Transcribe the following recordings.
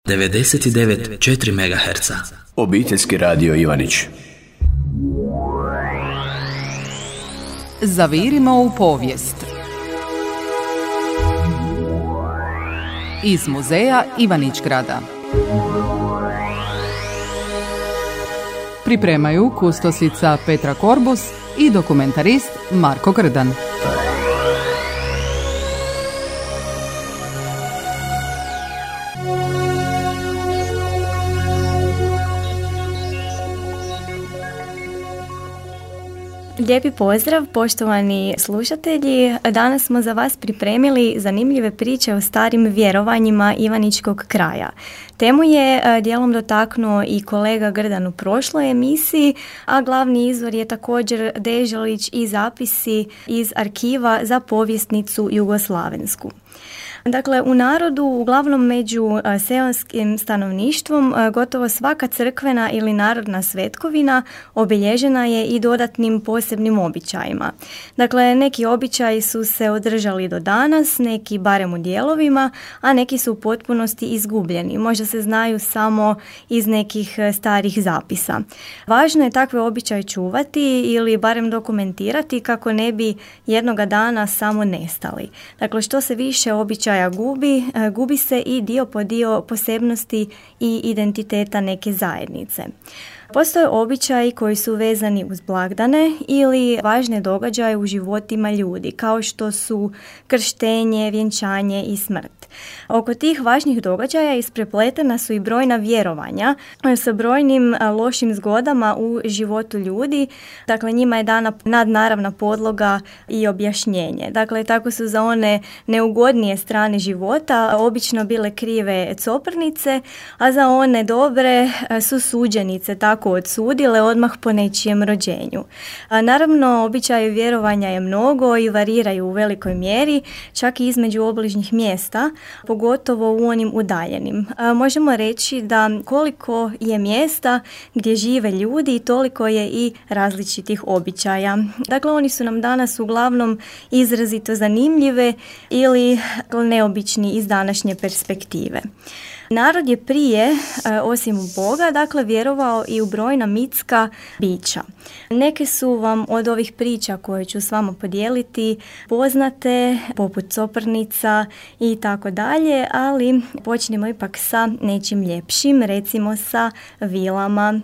99,4 MHz. Obiteljski radio Ivanić. Zavirimo u povijest. Iz muzeja Ivanić-Grada. Pripremaju kustosica Petra Korbus i dokumentarist Marko Grdan. Lijepi pozdrav, poštovani slušatelji. Danas smo za vas pripremili zanimljive priče o starim vjerovanjima Ivaničkog kraja. Temu je dijelom dotaknuo i kolega Grdan u prošloj emisiji, a glavni izvor je također Deželić i zapisi iz arhiva za povjesnicu jugoslavensku. Dakle, u narodu, uglavnom među seoskim stanovništvom, gotovo svaka crkvena ili narodna svetkovina obilježena je i dodatnim posebnim običajima. Dakle, neki običaji su se održali do danas, neki barem u dijelovima, a neki su u potpunosti izgubljeni. Možda se znaju samo iz nekih starih zapisa. Važno je takve običaje čuvati ili barem dokumentirati kako ne bi jednoga dana samo nestali. Dakle, što se više običaja gubi se i dio po dio posebnosti i identiteta neke zajednice. Postoje običaji koji su vezani uz blagdane ili važne događaje u životima ljudi, kao što su krštenje, vjenčanje i smrt. Oko tih važnih događaja isprepletena su i brojna vjerovanja sa brojnim lošim zgodama u životu ljudi. Dakle, njima je dana nadnaravna podloga i objašnjenje. Dakle, tako su za one neugodnije strane života obično bile krive coprnice, a za one dobre su suđenice tako odsudile odmah po nečijem rođenju. Naravno, običaje vjerovanja je mnogo i variraju u velikoj mjeri, čak i između obližnjih mjesta, pogotovo u onim udaljenim. Možemo reći da koliko je mjesta gdje žive ljudi, toliko je i različitih običaja. Dakle, oni su nam danas uglavnom izrazito zanimljive ili neobični iz današnje perspektive. Narod je prije, osim u Boga, dakle, vjerovao i u brojna mitska bića. Neke su vam od ovih priča koje ću s vama podijeliti poznate, poput coprnica i tako dalje, ali počnemo ipak sa nečim ljepšim, recimo sa vilama.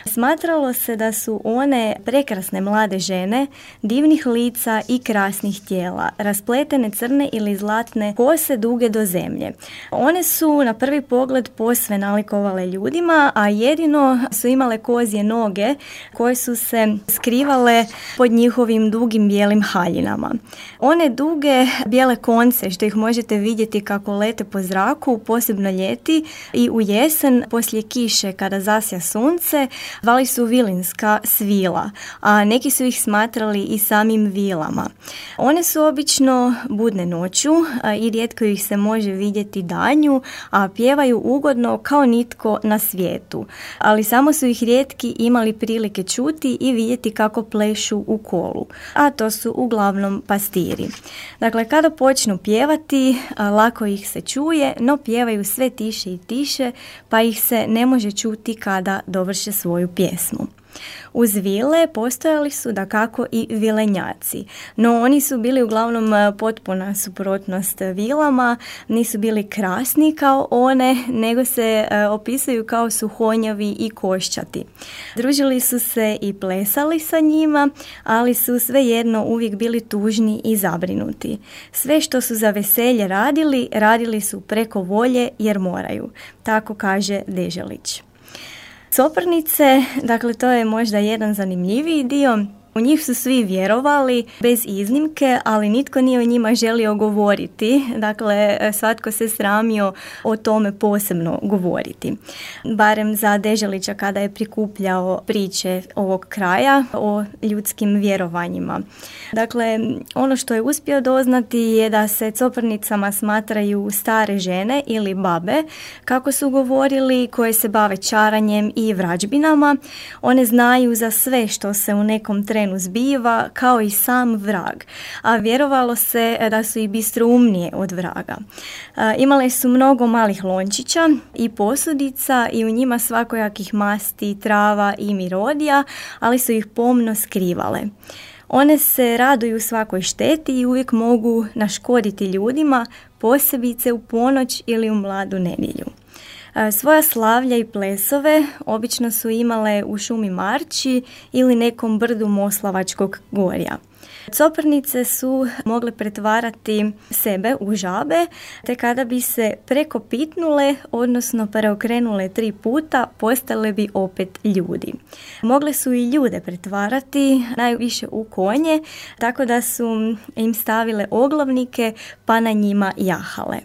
Smatralo se da su one prekrasne mlade žene, divnih lica i krasnih tijela, raspletene crne ili zlatne kose duge do zemlje. One su na prvi pogled posve nalikovale ljudima, a jedino su imale kozje noge koje su se skrivale pod njihovim dugim bijelim haljinama. One duge bijele konce što ih možete vidjeti kako lete po zraku, posebno ljeti i u jesen poslije kiše kada zasja sunce, zvali su vilinska svila, a neki su ih smatrali i samim vilama. One su obično budne noću i rijetko ih se može vidjeti danju, a pjevaju ugodno kao nitko na svijetu, ali samo su ih rijetki imali prilike čuti i vidjeti kako plešu u kolu, a to su uglavnom pastiri. Dakle, kada počnu pjevati, lako ih se čuje, no pjevaju sve tiše i tiše, pa ih se ne može čuti kada dovrše svoju pjesmu. Uz vile postojali su dakako i vilenjaci, no oni su bili uglavnom potpuna suprotnost vilama, nisu bili krasni kao one, nego se opisuju kao suhonjavi i koščati. Družili su se i plesali sa njima, ali su svejedno uvijek bili tužni i zabrinuti. Sve što su za veselje radili su preko volje jer moraju, tako kaže Deželić. Coprnice, dakle, to je možda jedan zanimljiviji dio. U njih su svi vjerovali bez iznimke, ali nitko nije o njima želio govoriti. Dakle, svatko se sramio o tome posebno govoriti. Barem za Deželića kada je prikupljao priče ovog kraja o ljudskim vjerovanjima. Dakle, ono što je uspio doznati je da se coprnicama smatraju stare žene ili babe, kako su govorili, koje se bave čaranjem i vrađbinama. One znaju za sve što se u nekom trenu terenu zbiva kao i sam vrag, a vjerovalo se da su i bistroumnije od vraga. Imale su mnogo malih lončića i posudica i u njima svakojakih masti, trava i mirodija, ali su ih pomno skrivale. One se raduju svakoj šteti i uvijek mogu naškoditi ljudima, posebice u ponoć ili u mladu nedjelju. Svoja slavlja i plesove obično su imale u šumi Marči ili nekom brdu Moslavačkog gorja. Coprnice su mogle pretvarati sebe u žabe, te kada bi se prekopitnule, odnosno preokrenule 3 puta, postale bi opet ljudi. Mogle su i ljude pretvarati, najviše u konje, tako da su im stavile oglavnike pa na njima jahale.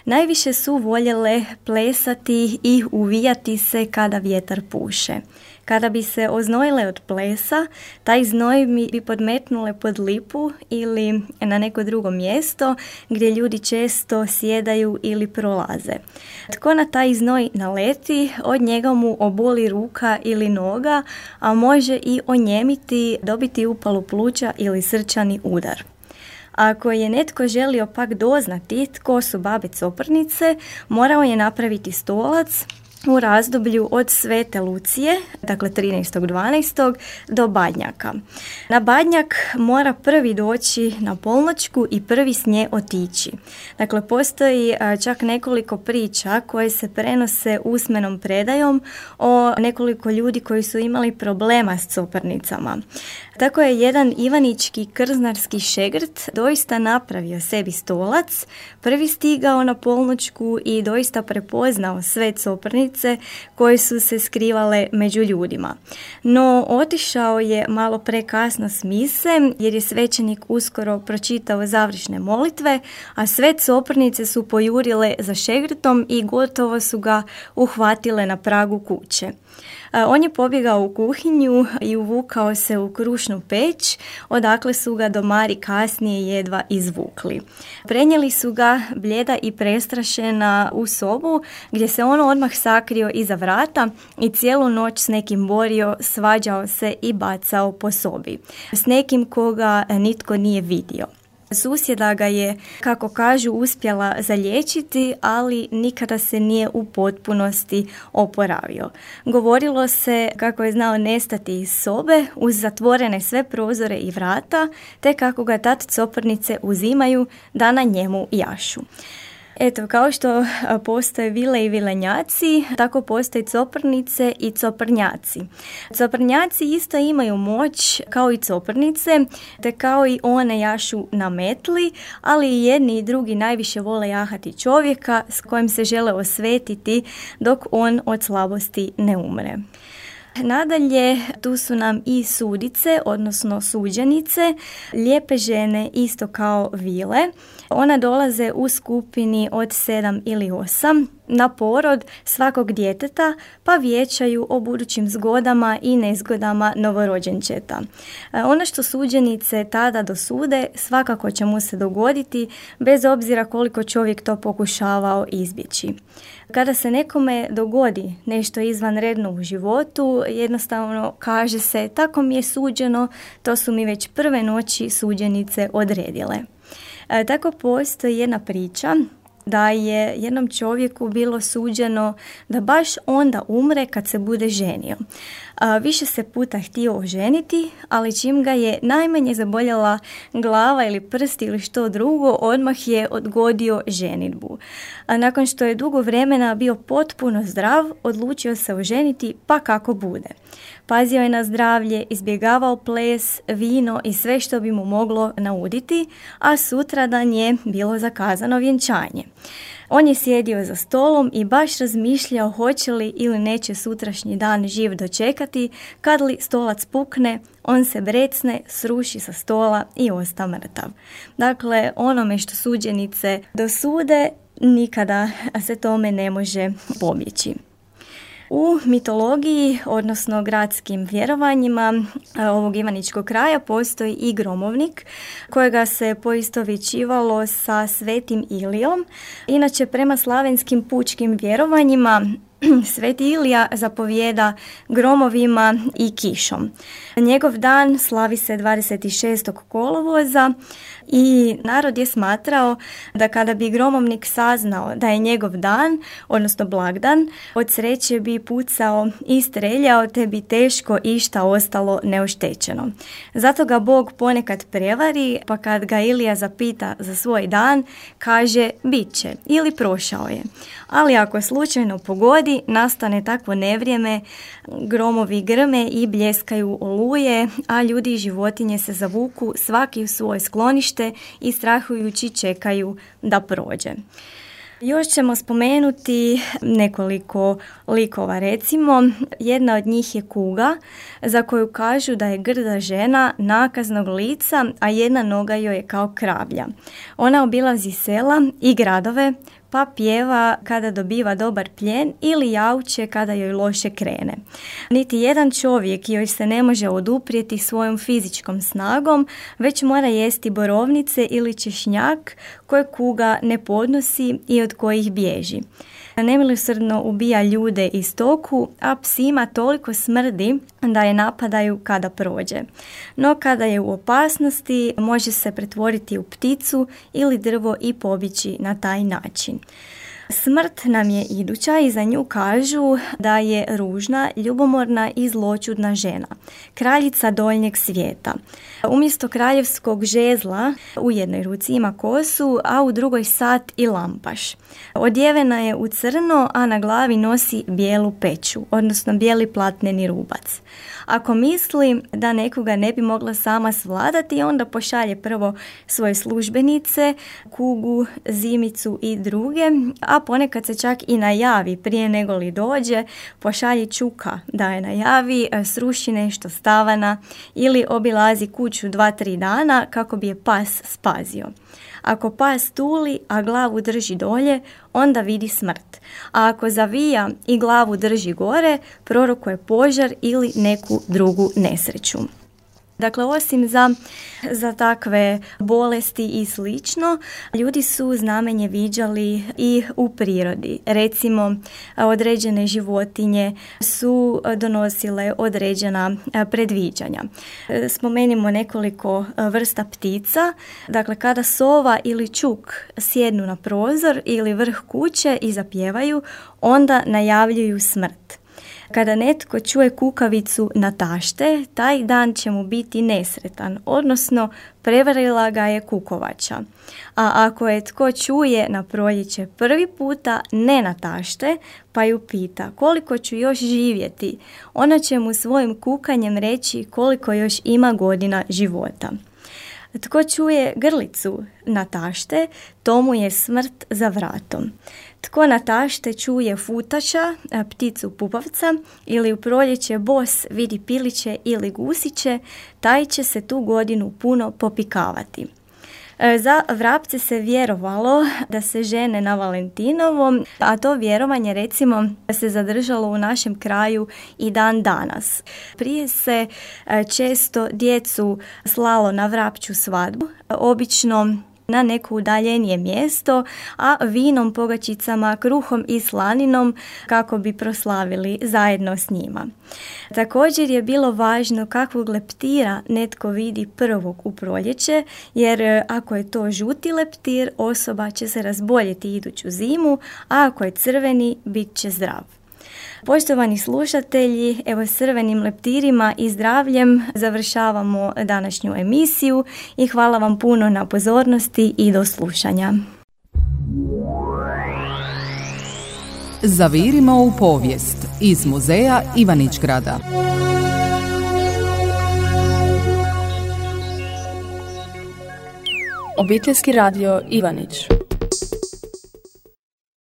Najviše su voljele plesati i uvijati se kada vjetar puše. Kada bi se oznojile od plesa, taj znoj bi podmetnule pod lipu ili na neko drugo mjesto gdje ljudi često sjedaju ili prolaze. Tko na taj znoj naleti, od njega mu oboli ruka ili noga, a može i onjemiti, dobiti upalu pluća ili srčani udar. Ako je netko želio pak doznati tko su babe Coprnice, morao je napraviti stolac u razdoblju od Svete Lucije, dakle 13.12. do Badnjaka. Na Badnjak mora prvi doći na polnoćku i prvi s nje otići. Dakle, postoji čak nekoliko priča koje se prenose usmenom predajom o nekoliko ljudi koji su imali problema s Coprnicama. Tako je jedan ivanički krznarski šegrt doista napravio sebi stolac, prvi stigao na polnoćku i doista prepoznao sve Coprnice koje su se skrivale među ljudima. No, otišao je malo prekasno s mise jer je svećenik uskoro pročitao završne molitve, a sve Coprnice su pojurile za šegrtom i gotovo su ga uhvatile na pragu kuće. On je pobjegao u kuhinju i uvukao se u krušnu peć, odakle su ga domari kasnije jedva izvukli. Prenijeli su ga bljeda i prestrašena u sobu, gdje se on odmah sakrio iza vrata i cijelu noć s nekim borio, svađao se i bacao po sobi. S nekim koga nitko nije vidio. Susjeda ga je, kako kažu, uspjela zaliječiti, ali nikada se nije u potpunosti oporavio. Govorilo se kako je znao nestati iz sobe uz zatvorene sve prozore i vrata, te kako ga tad Coprnice uzimaju da na njemu jašu. Eto, kao što postoje vile i vilenjaci, tako postoje Coprnice i Coprnjaci. Coprnjaci isto imaju moć kao i Coprnice, te kao i one jašu na metli, ali i jedni i drugi najviše vole jahati čovjeka s kojim se žele osvetiti dok on od slabosti ne umre. Nadalje, tu su nam i sudice, odnosno suđenice, lijepe žene isto kao vile. One dolaze u skupini od 7 ili 8 na porod svakog djeteta, pa vijećaju o budućim zgodama i nezgodama novorođenčeta. Ono što suđenice tada dosude svakako će mu se dogoditi, bez obzira koliko čovjek to pokušavao izbjeći. Kada se nekome dogodi nešto izvanredno u životu, jednostavno kaže se tako mi je suđeno, to su mi već prve noći suđenice odredile. Tako postoji jedna priča da je jednom čovjeku bilo suđeno da baš onda umre kad se bude ženio. Više se puta htio oženiti, ali čim ga je najmanje zaboljela glava ili prst ili što drugo, odmah je odgodio ženidbu. Nakon što je dugo vremena bio potpuno zdrav, odlučio se oženiti pa kako bude. Pazio je na zdravlje, izbjegavao ples, vino i sve što bi mu moglo nauditi, a sutradan je bilo zakazano vjenčanje. On je sjedio za stolom i baš razmišljao hoće li ili neće sutrašnji dan živ dočekati, kad li stolac pukne, on se brecne, sruši sa stola i osta mrtav. Dakle, onome što suđenice dosude, nikada se tome ne može pobjeći. U mitologiji, odnosno gradskim vjerovanjima ovog ivaničkog kraja, postoji i gromovnik kojega se poistovjećivalo sa Svetim Ilijom. Inače, prema slavenskim pučkim vjerovanjima, Sveti Ilija zapovijeda gromovima i kišom. Njegov dan slavi se 26. kolovoza i narod je smatrao da kada bi gromovnik saznao da je njegov dan, odnosno blagdan, od sreće bi pucao i streljao, te bi teško išta ostalo neoštećeno. Zato ga Bog ponekad prevari, pa kad ga Ilija zapita za svoj dan, kaže bit će ili prošao je. Ali ako slučajno pogodi, nastane takvo nevrijeme, gromovi grme i bljeskaju oluje, a ljudi i životinje se zavuku svaki u svoje sklonište i strahujući čekaju da prođe. Još ćemo spomenuti nekoliko likova, recimo jedna od njih je kuga, za koju kažu da je grda žena nakaznog lica, a jedna noga joj je kao kravlja. Ona obilazi sela i gradove, pa pjeva kada dobiva dobar plijen ili jauče kada joj loše krene. Niti jedan čovjek joj se ne može oduprijeti svojom fizičkom snagom, već mora jesti borovnice ili češnjak koje kuga ne podnosi i od kojih bježi. Nemilosrdno ubija ljude i stoku, a psima toliko smrdi da je napadaju kada prođe. No kada je u opasnosti, može se pretvoriti u pticu ili drvo i pobići na taj način. Smrt nam je iduća i za nju kažu da je ružna, ljubomorna i zloćudna žena, kraljica donjeg svijeta. Umjesto kraljevskog žezla u jednoj ruci ima kosu, a u drugoj sat i lampaš. Odjevena je u crno, a na glavi nosi bijelu peću, odnosno bijeli platneni rubac. Ako misli da nekoga ne bi mogla sama svladati, onda pošalje prvo svoje službenice, kugu, zimicu i druge, a ponekad se čak i najavi prije nego li dođe, pošalje čuka da je najavi, sruši nešto stavana ili obilazi kuću 2-3 dana kako bi je pas spazio. Ako pas tuli, a glavu drži dolje, onda vidi smrt. A ako zavija i glavu drži gore, prorokuje požar ili neku drugu nesreću. Dakle, osim za takve bolesti i slično, ljudi su znamenje viđali i u prirodi. Recimo, određene životinje su donosile određena predviđanja. Spomenimo nekoliko vrsta ptica. Dakle, kada sova ili čuk sjednu na prozor ili vrh kuće i zapjevaju, onda najavljuju smrt. Kada netko čuje kukavicu na tašte, taj dan će mu biti nesretan, odnosno prevarila ga je kukovača. A ako je tko čuje na proljeće prvi puta ne na tašte, pa ju pita koliko ću još živjeti, ona će mu svojim kukanjem reći koliko još ima godina života. Tko čuje grlicu na tašte, tomu je smrt za vratom. Tko na tašte čuje futača, pticu pupavca, ili u proljeće bos vidi piliće ili gusiće, taj će se tu godinu puno popikavati. Za vrapce se vjerovalo da se žene na Valentinovom, a to vjerovanje recimo se zadržalo u našem kraju i dan danas. Prije se često djecu slalo na vrapču svadbu, obično na neko udaljenije mjesto, a vinom, pogačicama, kruhom i slaninom kako bi proslavili zajedno s njima. Također je bilo važno kakvog leptira netko vidi prvog u proljeće, jer ako je to žuti leptir, osoba će se razboljeti iduću zimu, a ako je crveni, bit će zdrav. Poštovani slušatelji, evo s crvenim leptirima i zdravljem završavamo današnju emisiju i hvala vam puno na pozornosti i do slušanja. Zavirimo u povijest iz muzeja Ivanić-Grada. Obiteljski radio Ivanić.